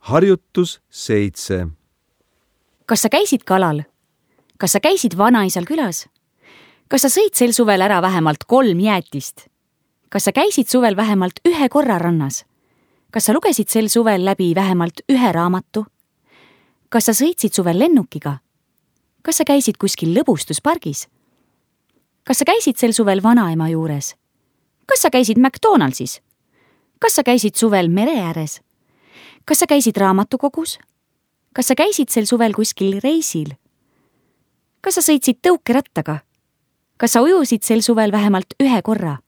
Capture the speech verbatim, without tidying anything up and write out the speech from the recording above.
Harjutus seitse. Kas sa käisid kalal? Kas sa käisid vanaisal külas? Kas sa sõid sel suvel ära vähemalt kolm jäätist? Kas sa käisid suvel vähemalt ühe korra rannas? Kas sa lugesid sel suvel läbi vähemalt ühe raamatu? Kas sa sõitsid suvel lennukiga? Kas sa käisid kuskil lõbustuspargis? Kas sa käisid sel suvel vanaema juures? Kas sa käisid McDonaldsis? Kas sa käisid suvel mere ääres? Kas sa käisid raamatukogus? Kas sa käisid sel suvel kuskil reisil? Kas sa sõitsid tõukerattaga? Kas sa ujusid sel suvel vähemalt ühe korra?